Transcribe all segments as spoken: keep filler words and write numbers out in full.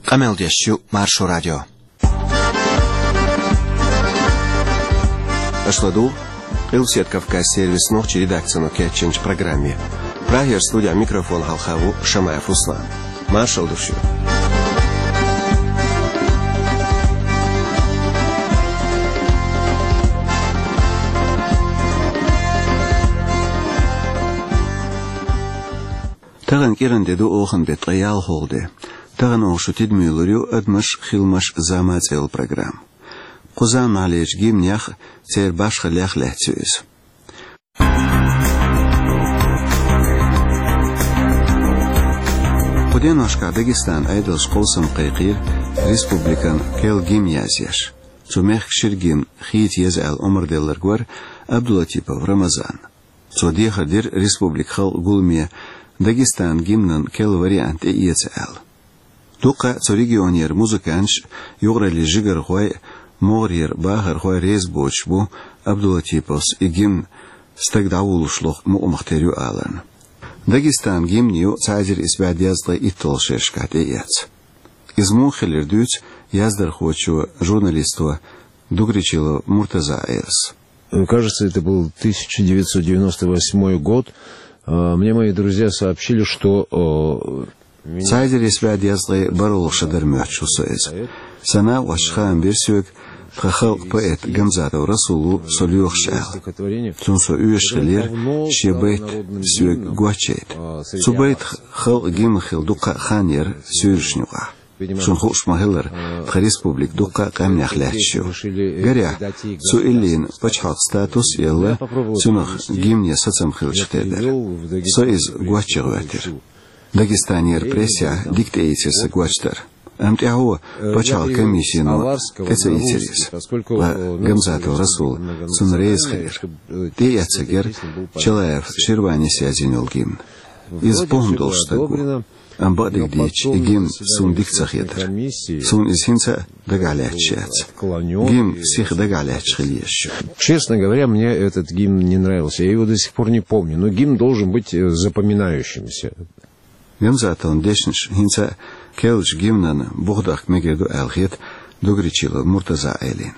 Къамел деш ю Маршо радио. Аша ладугӀу Къилбаседа Кавказан сервисан нохчийн редакцино кечйинчу программе. Прагера студехь микрофон хьалха ву Шамаев Руслан. Маршалла ду шуьга. Тахана кӀиран де ду, охан беттан ткъе ялхалгӀа де. Тахана оха шун тидаме лур ю «Адамаш, хиламаш, зама» цӀе йолу программа. Кху заманахьлерчу гимнех, церан башхаллех лаьцна ю иза. Кху деношкахь Дагестанан Ӏедалша къовсам кхайкхийра республикан керла гимн язъеш. Цу мехкан шира гимн хийца еза аьлла омра делларг вара Абдулатипов Рамазан. Цо дехар дира республикан халкъан гуламе Дагестанан гимнан керла вариант тӀеэца аьлла. Дуккха а цу регионера музыканташ, юкъараллин жигархой, могӀарера бахархой реза боцуш бу Абдулатиповс и гимн стаг дӀавуллуш лоху мукъамах тера ю аларна. Дагестанан гимн ю цхьа эзар исс бӀе дезткъе итталгӀачу шерашкахь тӀеэцна. Иза муха хилира дуьйцу яздархочо, журналисто Дугричилов Муртаза Ӏелас. Кажется, это был тысяча девятьсот девяносто восьмой год. А, мне мои друзья сообщили, что, э, меня... Цхьа эзар исс бӀе дезткъе бархӀалгӀа шо дара моьттуш ву со иза. Сан накъосташа хаам бира соьга, тхан халкъан поэт Гамзатов Расул ву со лоьхуш аьлла. Цунна со оьшуш хиллера шен байт соьга гочдайта. Цу байтах халкъан гимн хилла дуккха а хан яра суьйрашна юкъахь. Шуна хууш ма-хиллара, тхан республика дуккха а къаьмнех лаьтташ ю. Гарехь, цу иллина пачхьалкхан статус а елла, цунах гимне сацам хилча хир дара. Со иза гочйа гӀоьртира. Дагестанера прессехь дика тӀеийцира сан гочдар. Амма тӀаьхьо пачхьалкхан комиссино тӀе ца ийцира иза. Ткъа Гамзатов Расул цунна реза хилира. ТӀеэцнарг яра Чалаев Ширванис язйина йолу гимн. Иза похӀма долуш стаг ву. Амма бакъдерг дийцича, и гимн суна дика ца хетара. Суна иза хӀинца а дагахь лаьтташ яц. Гимн сиха дагахь лаьтташ хила езаш ю. Честно говоря, мне этот гимн не нравился. Я его до сих пор не помню. Но гимн должен быть, э, запоминающимся. Гамзатовн дешнаш хӀинца а керлачу гимнана бух дахка мегар ду аьлла хета Дугричилов Муртаза Ӏелина.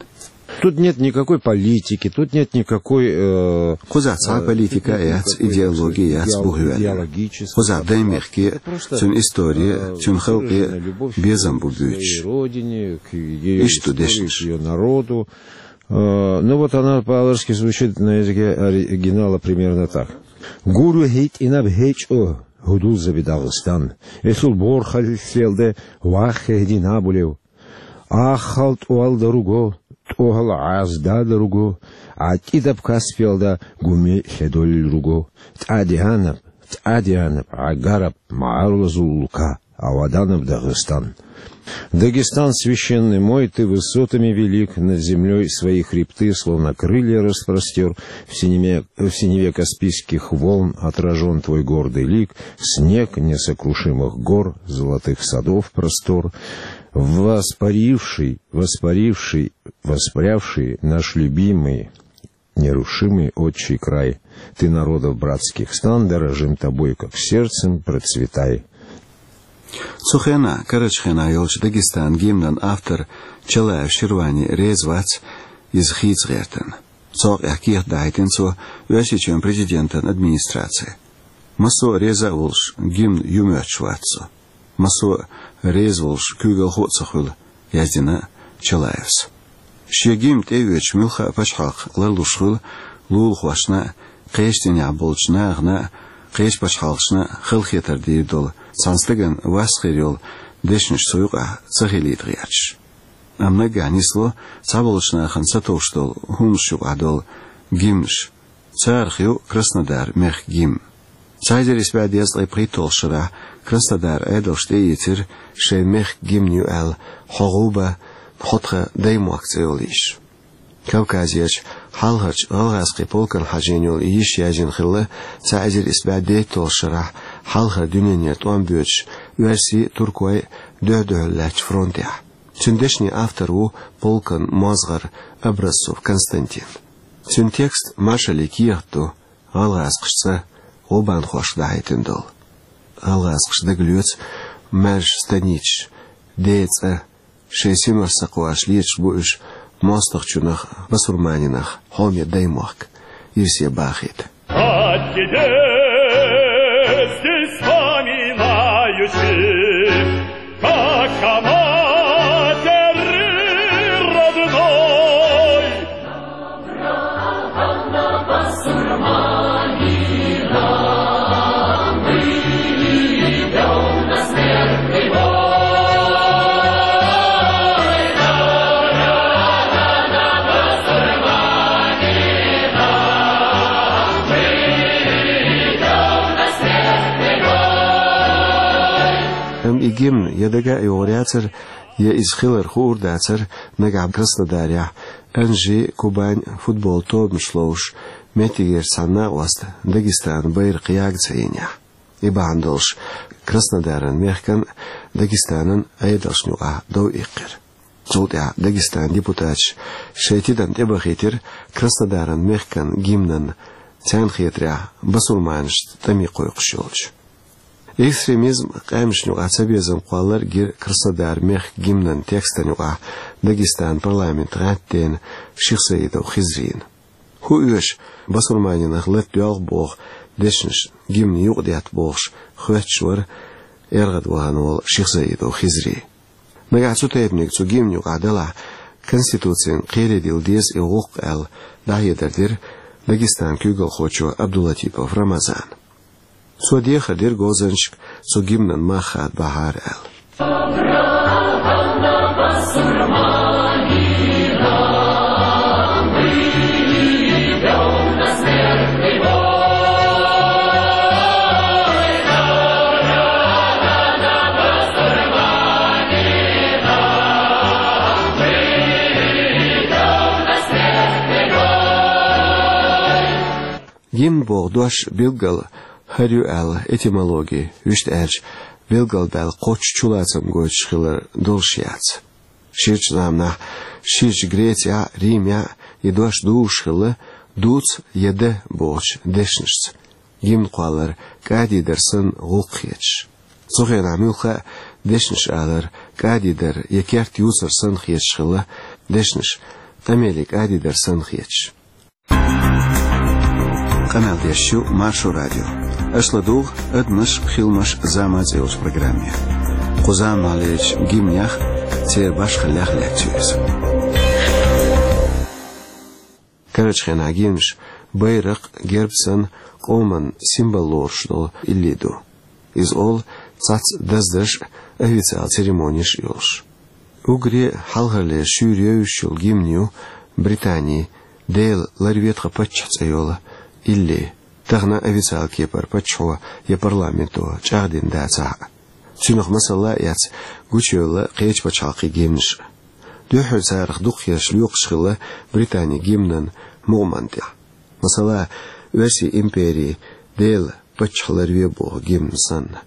Тут нет никакой политики, тут нет никакой, э... Кхузахь цхьа а политика а яц, идеологи а яц, бух йоьллина. Кхузахь даймехке а, цуьнан истори а, цуьнан халкъе а безам бу буьйцуш. Иштта ду дешнаш. Э, ну вот она по-аварски звучит на языке оригинала примерно так. Гур ю хӀиттӀинаб хӀечӀо, хӀу дуззабе Дагъыстан. Эсул борхаллица лелде ваххехь дина а булев. Аххал тӀол дар уго, тӀохал Ӏазда дар уго, Ӏа кӀидаб Каспиялда гуми лъедоллур уго. ТӀадеанаб, тӀадеанаб, Ӏа гараб, ма Ӏарлазул улка, Ӏа ваданаб Дагъыстан. Дагестан священный мой, ты высотами велик, над землёй свои хребты, словно крылья, распростёр. В синеве, в синеве Каспийских волн отражён твой гордый лик, снег несокрушимых гор, золотых садов простор. Воспаривший, воспаривший, воспрявший наш любимый, нерушимый отчий край. Ты народов братских стан, дорожим тобой, как сердцем, процветай. Цу хенахь, карарчу хенахь йолчу Дагестанан гимнан автор Чалаев Ширвани реза вац иза хийца гӀертарна. Цу хьокъехь кехат дахьийтина цо Оьрсийчоьнан президентан администраце. Массо а реза а волуш, гимн ю моьттуш вац со. Массо а реза волуш куьйгалхо а ца хуьлу, яздина Чалаевс. Шен гимн тӀеоьцуш муьлхха а пачхьалкх ларлуш хуьлу лулахошна а, кхечу динехь болчу нахана а, кхечу пачхьалкхашна а халахетар дийр долу, цхьана стагана вас хир йолу дешнаш цу юкъахь ца хилийта гӀерташ. Амма наггахь нисло цхьаболчу нахана сатовш долу хӀуманаш юкъахь долу гимнаш. Царах ю Краснодар мехкан гимн. Цхьа эзар исс бӀе дезткъе пхийтталгӀачу шарахь Краснодар Ӏедалша тӀеийцира шайн мехкан гимн ю аьлла «Хьо гӀуба, хьо тхан даймохк» цӀе йолу йиш. Кавказерчу хьалхарчу гӀалгӀазкхийн полкана хьажийна йолу и йиш яздина хилла цхьа эзар исс бӀе дейтталгӀачу шарахь хьалхара дуьненара тӀом боьдуш оьрсийн а, туркойн а дуьхь-дуьхьал лаьттачу фронтехь. Цуьнан дешнийн автор ву полкан мозгӀар Образцов Константин. Цуьнан текст маршаллин кехат ду, гӀалгӀазкхаша цӀа гӀубанхошка дахьийтина долу. ГӀалгӀазкхаша дагалоьцу маьрша станицаш, Ден цӀа. Шайн синошца кхоачаш леташ бу уьш моастагӀчунах, басурманинах хьоме даймохк ирсе бахийта. Амма и гимн я дага а йогӀур яцар, я иза хилар хуур дацар, нагахь Краснодарехь Анжи, Кубань футбол тобанаш ловзуш, меттигерчу цхьана накъоста Дагестан байракх яга ца йинехь. И бахьана долуш Краснодаран мехкан, Дагестанан Ӏедалшна юкъахь дов иккхира. Цул тӀаьхьа Дагестанан депутаташа шайн тидам тӀебахийтира Краснодаран мехкан гимнан, царна хетарехь, басурманашца тӀаме кхойкхуш йолчу. Экстремизм, къаьмнашна юкъахь цабезам кхоллар гира Краснодар мехкан гимнан текстана юкъахь Дагестанан парламентан гӀаьттина Шихсаидов Хизрина. ХӀун оьшу басурманинах лата доьлху боху дешнаш гимнан юкъа детта бохуш хоьттуш вара ЭргӀад вахана волу Шихсаидов Хизри. Нагахь цу тайпаниг цу гимнан юкъахь делахь, Конституцина кхерадилла деза и гӀуллакх аьлла, дӀахьедар дира Дагестанан куьйгалхочо Абдулатипов Рамазана. Цо дехар дира говзанчашка цу гимнан мах хадабахьара аьлла. Гимн боху дош билггал хӀара ю аьлла этимологи, вуьшта аьлча, билгалдаьлла кхоччуш чулацам гойтуш хилар долуш яц. Ширачу заманахь, ширачу Грецехь а, Римехь а и дош дузуш хилла «дуц» я «да» бохучу дешнашца, гимн кхоллар кӀадидар санна гӀуллакх хеташ. Цу хенахь муьлхха а дешнаш алар кӀадидар я керт юцар санна хеташ хилла, дешнаш къамеле кӀадидар санна хеташ. Къамел деш ю Маршо радио. Аша ладугӀу «Адамаш, хиламаш, зама» цӀе йолчу программе. Кху заманахьлерчу гимнех, церан башхаллех лаьцна ю иза. Карарчу хенахь гимнаш байракх, герб санна, къоман символ лоруш долу илли ду. Иза олу цхьацца даздаш а, официал церемонеш а йолуш. Уггаре хьалхарлера шуьйра евзаш йолу гимн ю Британин «Дела, ларве тхан паччахь» цӀе йолу илли, тахана официал кепара паччахьо я парламенто чӀагӀдина дацахь а. Цуьнах масала а эцна, гучуевлла кхечу пачхьалкхийн гимнаш а. Дуьххьара царах дукхахберш лоькхуш хилла Британин гимнан мукъамна тӀехь. Масала, Оьрсийн империн «Дела, паччахь ларве» боху гимн санна.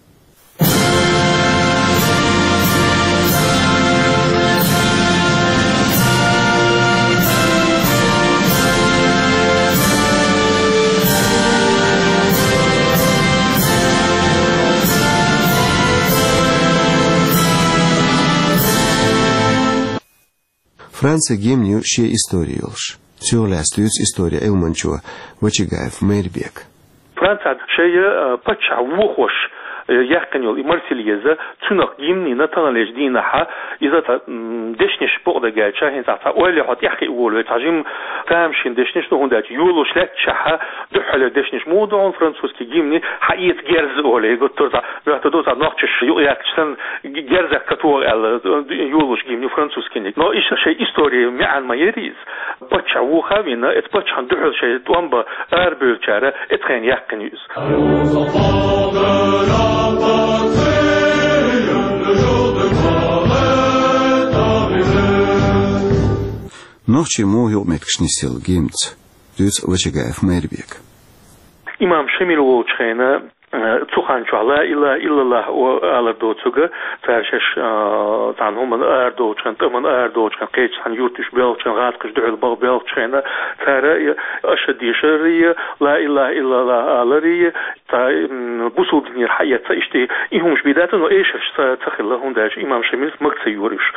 Францин гимнан ю шен истори йолуш. Цунах лаьцна дуьйцу историн Ӏилманчо Вачагаев Майрбека. Францехь шайн, э, паччахь вохош, э, яьккхина йолу и Марсельеза, цунах гимнина таханлерчу дийнахь иза цхьа, м, дешнаш бакъдерг аьлча, хӀинца цхьа ойла хьо тӀаьхьа волаве, цхьа жима тамашийна дешнаш ду, хӀунда аьлча йолуш лаьтташехь дуьххьарлера дешнаш муха ду хьуна французский гимни, хьаэца герз олий, гуттар а цхьа моьтту ду, цхьа нохчаша юкъаяьлча санна, г-, герзах катогӀа аьлла, э, йолуш гимни французскийниг. Но иштта шайн историн маьӀна ма яра иза. Паччахь вохавина, эцу паччахьна дуьхьал шайн тӀом бан арабевллачара эцу хенахь яьккхина ю иза. Нохчийн муха юкъаметтигаш нисъелла гимнца, дуьйцу Вачагаев Майрбека. Имам Шамил волчу хенахь Э, цу хана чохь «Ла илаха иллаллах» о-, алар доцург, цара шаьш, э, цхьана хӀуманна арадолчу хенахь, тӀамна арадолчу хенахь, кхечу цхьана юрта уьш боьлхучу хенахь, гӀазкхаша дуьхьал баха боьлхучу хенахь, цара, э, ашхӀад дешарий, «Ла илаха иллаллах» аларий, цхьа, м, бусулба динера хьаэца, иштта и хӀумаш бен дац, но эшарш ца, ца хилла, хӀунда аьлча имам Шамилс мага ца йора уьш.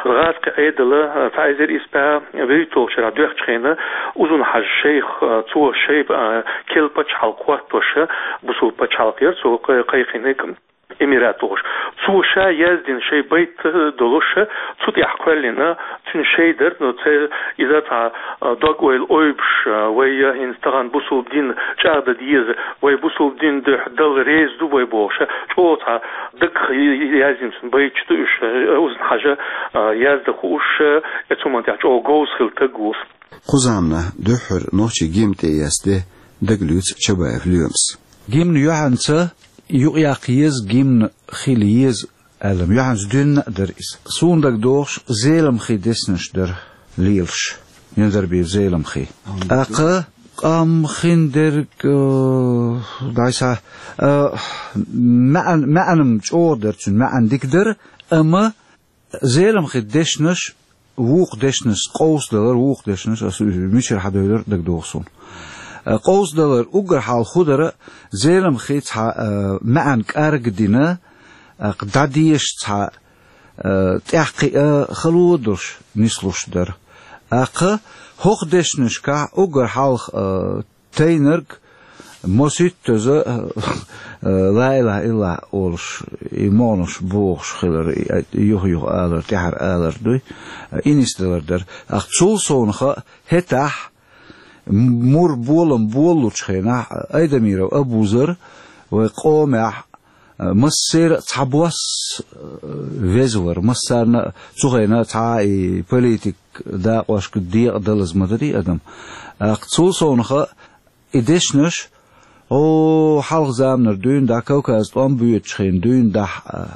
ГӀазкхийн Ӏедал, э, цхьа эзар исс бӀе вуьрхӀитталгӀачу шарахь доьхкучу хенахь, Узун-Хьажа шайх, э, цо шайх, э, керла пачхьалкх хӀоттош, бусулба пачхьалкх яра цо кхай-, кхайкхинарг, эмират бохуш. Цо ша яздина шайн байт долуш, цу тӀехь кхоьллина, цуьнан шай дара, но церан иза цхьа, а, дог-ойла ойбуш, а, вай, а, хӀинца тахана бусулба дин чӀагӀдан деза, вай бусулба дин дуьхьа Далла реза ду вай бохуш, чӀогӀа цхьа дагах яздина цуьнан байташ ду уьш, а, Узун-Хьажа, а, яздан хууш, а, цу хӀуманна тӀехь чӀогӀа говза хилла стаг ву. Кху заманахь дуьххьара нохчийн гимн тӀеэцна де дагалоьцу Чабаев Лоьмас. Гимн юьхьанца юкъаяккха еза, гимн хила еза аьлла, юьхьанца дуьйна а дара иза. Суна дагадогӀуш, Зеламхин дешнаш дара лелаш, Низарбиев Зеламхин. ТӀаккха къам хин дерг, э, дӀайса, э, маьӀан-, маьӀан-м чӀогӀа дара цуьнан, маьӀан дика дара, амма Зеламхин дешнаш, вукху дешнаш къовсадалар, вукху дешнаш, аса уьш мичара хьадевлира дагадогӀу суна. Э, къовсадалар уггар хьалха хӀун дара, Зеламхин цхьа, э, маьӀан кӀарг дина, э, дӀадеша цхьа, э, тӀаьхьакхиа хало а долуш нислуш дара. ТӀаккха хӀокху дешнашкахь уггар хьалха, э, тайнарг, масийттаза, э, «Ла илаха иллаллах» олуш, и могӀанаш бохуш хилар, и, и юха-юха алар, тӀаьхьара алар дуй, и нисдалар дара. ТӀаккха цул совнаха хӀетахь, мур болам болалучу хенахь, Айдамиров Абузар вай къомехь, э, массеран а цхьабосса, э, веза вара, массарна а цу хенахь цхьа а и политик дакъошка декъадалаза ма дарий адам. ТӀаккха цул совнаха и дешнаш, о, хьалха заманара дуьйна дӀа, Кавказан тӀом боьдучу хенахь дуьйна дӀа, а,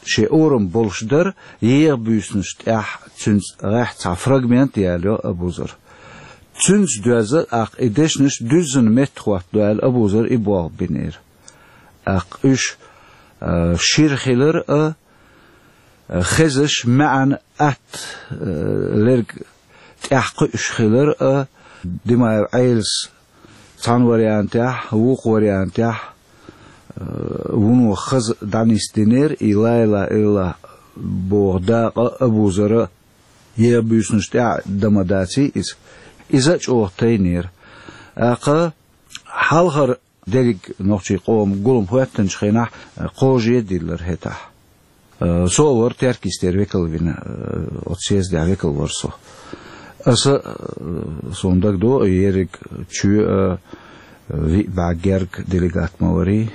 шен орам болуш дара, еха буьйсанаш тӀехь цуьнца гӀехь цхьа фрагмент а ялайо Абузара. Цуьнца доьзна, тӀаккха и дешнаш дуьззина метта хӀоттадо аьлла, Абузара и болх бинера. ТӀаккха уьш, а, шира хилар а, хезаш, маьӀна атта, э, лерг тӀаьхьакхуьуш хилар а, Димаев Ӏелас цхьана вариантехь, вукху вариантехь, э, вуно хаза дӀанисдинера, и «Ла илаха иллаллах» боху дакъа Абузара еха буьйсанаш тӀехь дан ма даций иза. Иза а чӀогӀа тайнера. ТӀаккха хьалхара дерриг нохчийн къоман гулам хӀоьттинчу хенахь, э, кхожа а диллира хӀетахь. Э, со а вара Теркйистера векал вина, э, оцу съездехь векал вара со. Аса, э, суна дагадогӀу, ерриг чоь а, э, виъ бӀе герга делегат ма варий,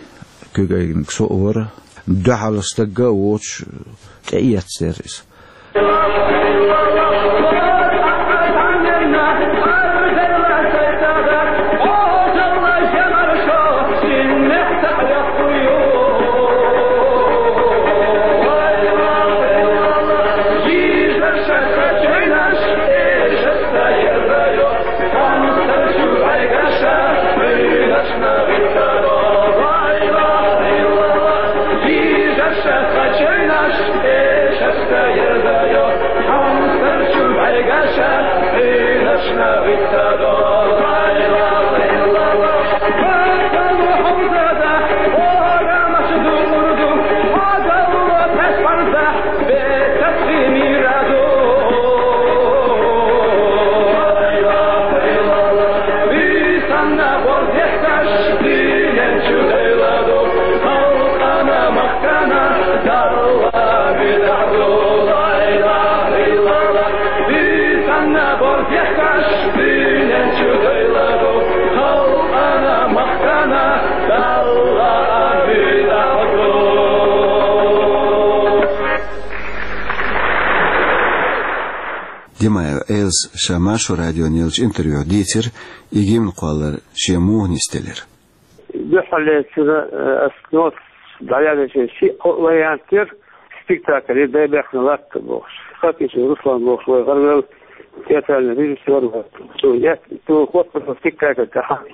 куьг айганиг со а вара. Дуьхьал стаг а воцуш, тӀеэцнера иза. Димаев Ӏелас ша Маршо радиона еллачу интервьюхь дийцира и гимн кхоллар шен муха нисделира. Дуьххьарлерчура, э, ас ноцаш дӀаяьллачу шиъ-кхоъ вариант яра, спектакль яра, «Дай бехна латта» бохуш. Хакичев Руслан бохуш вай гӀарвелла театральный режиссёр вара. Цо ет-, цо хӀоттаелла спектакль тӀехь.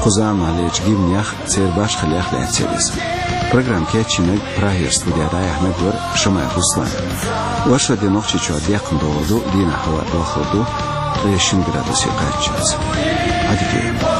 Кху заманахьа лелачу гимнех, церан башхаллех лаьцна яра иза. Программа кечйинарг, Прагера студехь дӀаяьхьнарг вара Шамаев Руслан. Вай шо де Нохчийчохь декхна догӀур ду дийнахь хӀаваъ балхалур ду, ткъе шина градусе кхаччалц. Ӏадика.